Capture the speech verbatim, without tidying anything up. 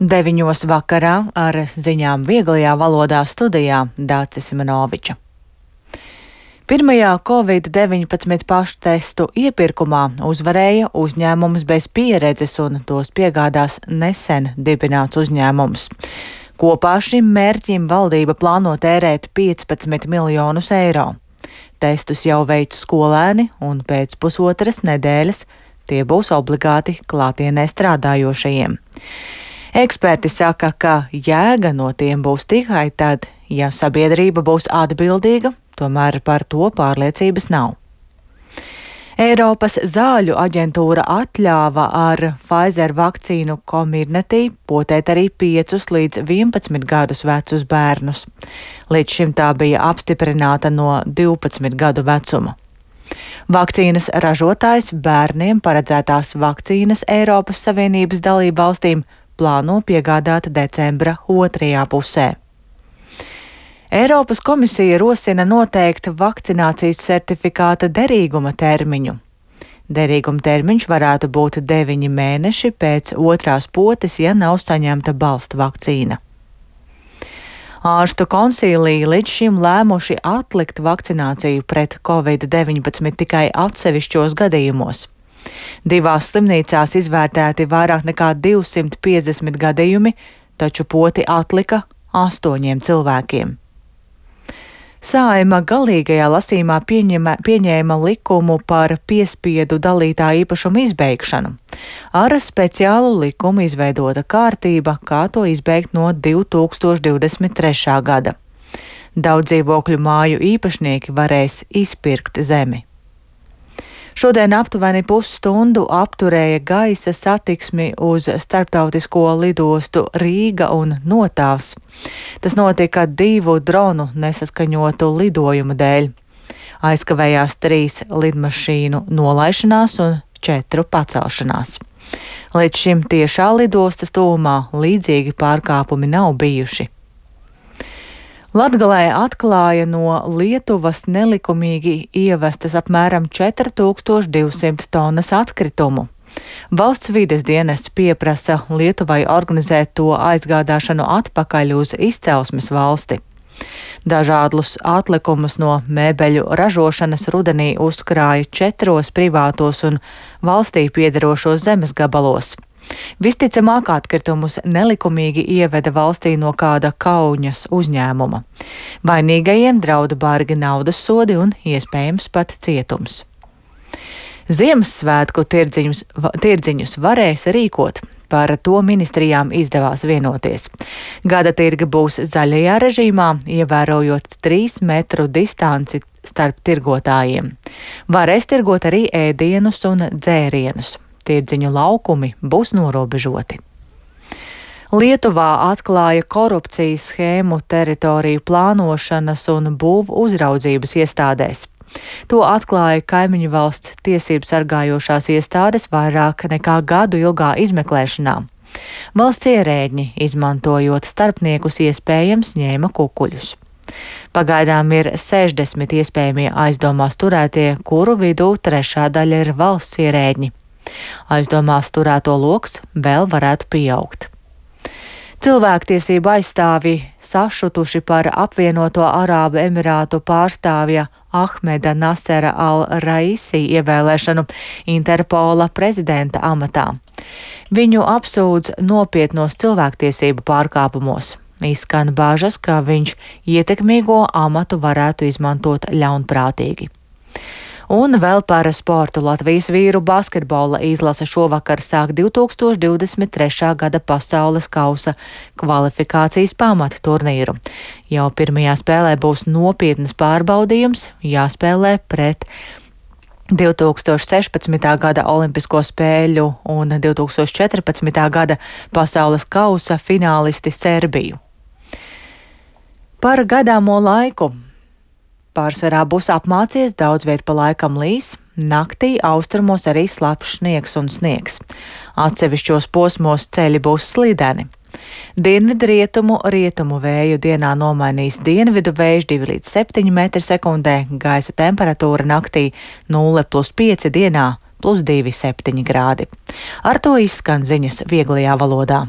Deviņos vakarā ar ziņām vieglajā valodā studijā Dācis Simenoviča. Pirmajā covid deviņpadsmit paštestu iepirkumā uzvarēja uzņēmums bez pieredzes un tos piegādās nesen dibināts uzņēmums. Kopā šim mērķim valdība plāno tērēt piecpadsmit miljonus eiro. Testus jau veic skolēni un pēc pusotras nedēļas tie būs obligāti klātienē strādājošajiem. Eksperti saka, ka jēga no tiem būs tikai tad, ja sabiedrība būs atbildīga, tomēr par to pārliecības nav. Eiropas zāļu aģentūra atļāva ar Pfizer vakcīnu Comirnaty potēt arī piecus līdz vienpadsmit gadus vecus bērnus. Līdz šim tā bija apstiprināta no divpadsmit gadu vecuma. Vakcīnas ražotājs bērniem paredzētās vakcīnas Eiropas Savienības dalību valstīm plāno piegādāt decembra otrajā pusē. Eiropas komisija rosina noteikt vakcinācijas certifikāta derīguma termiņu. Derīguma termiņš varētu būt deviņi mēneši pēc otrās potes, ja nav saņemta balsta vakcīna. Ārstu konsīlija līdz šim lēmuši atlikt vakcināciju pret covid deviņpadsmit tikai atsevišķos gadījumos. Divās slimnīcās izvērtēti vairāk nekā divsimt piecdesmit gadījumi, taču poti atlika astoņiem cilvēkiem. Saeima galīgajā lasījumā pieņēma, pieņēma likumu par piespiedu dalītā īpašuma izbeigšanu. Ar speciālu likumu izveidota kārtība, kā to izbeigt no divi tūkstoši divdesmit trešā gada. Daudz dzīvokļu māju īpašnieki varēs izpirkt zemi. Šodien aptuveni pusstundu apturēja gaisa satiksmi uz starptautisko lidostu Rīga un Notavs. Tas notika divu dronu nesaskaņotu lidojumu dēļ. Aizkavējās trīs lidmašīnu nolaišanās un četru pacelšanās. Līdz šim tiešā lidostas tūmā līdzīgi pārkāpumi nav bijuši. Latgalē atklāja no Lietuvas nelikumīgi ievestas apmēram četri tūkstoši divsimt tonnas atkritumu. Valsts vides dienests pieprasa Lietuvai organizēt to aizgādāšanu atpakaļ uz izcelsmes valsti. Dažādus atlikumus no mēbeļu ražošanas rudenī uzkrāja četros privātos un valstī piederošos zemes gabalos. Visticamāk, atkritumus nelikumīgi ieveda valstī no kāda Kauņas uzņēmuma. Vainīgajiem drauda bargi naudas sodi un iespējams pat cietums. Ziemassvētku tirdziņus, tirdziņus varēs rīkot. Par to ministrijām izdevās vienoties. Gada tirgi būs zaļajā režīmā, ievērojot trīs metru distanci starp tirgotājiem. Varēs tirgot arī ēdienus un dzērienus. Tirdziņu laukumi būs norobežoti. Lietuvā atklāja korupcijas schēmu teritoriju plānošanas un būvu uzraudzības iestādēs. To atklāja kaimiņu valsts tiesību sargājošās iestādes vairāk nekā gadu ilgā izmeklēšanā. Valsts ierēģi, izmantojot starpniekus, iespējams ņēma kukuļus. Pagaidām ir sešdesmit iespējamie aizdomās turētie, kuru vidū trešā daļa ir valsts ierēģi. Aizdomās turēto loks vēl varētu pieaugt. Cilvēktiesību aizstāvji sašutuši par apvienoto Arābu Emirātu pārstāvja Ahmeda Nasera al-Raisi ievēlēšanu Interpola prezidenta amatā. Viņu apsūdz nopietnos cilvēktiesību pārkāpumos. Izskan bāžas, ka viņš ietekmīgo amatu varētu izmantot ļaunprātīgi. Un vēl par sportu. Latvijas vīru basketbola izlase šovakar sāk divi tūkstoši divdesmit trešā gada pasaules kausa kvalifikācijas pamata turnīru. Jau pirmajā spēlē būs nopietnas pārbaudījums, jāspēlē pret divi tūkstoši sešpadsmitā gada Olimpisko spēļu un divi tūkstoši četrpadsmitā gada pasaules kausa finālisti Serbiju. Par gaidāmo laiku. Pārsvarā būs apmācies, daudz viet pa laikam līs, naktī austrumos arī slapjš sniegs un sniegs. Atsevišķos posmos ceļi būs slideni. Dienvidu rietumu, rietumu vēju dienā nomainīs dienvidu vējš divi līdz septiņi metri sekundē, gaisa temperatūra naktī nulle plus pieci dienā plus divi septiņi grādi. Ar to izskan ziņas vieglajā valodā.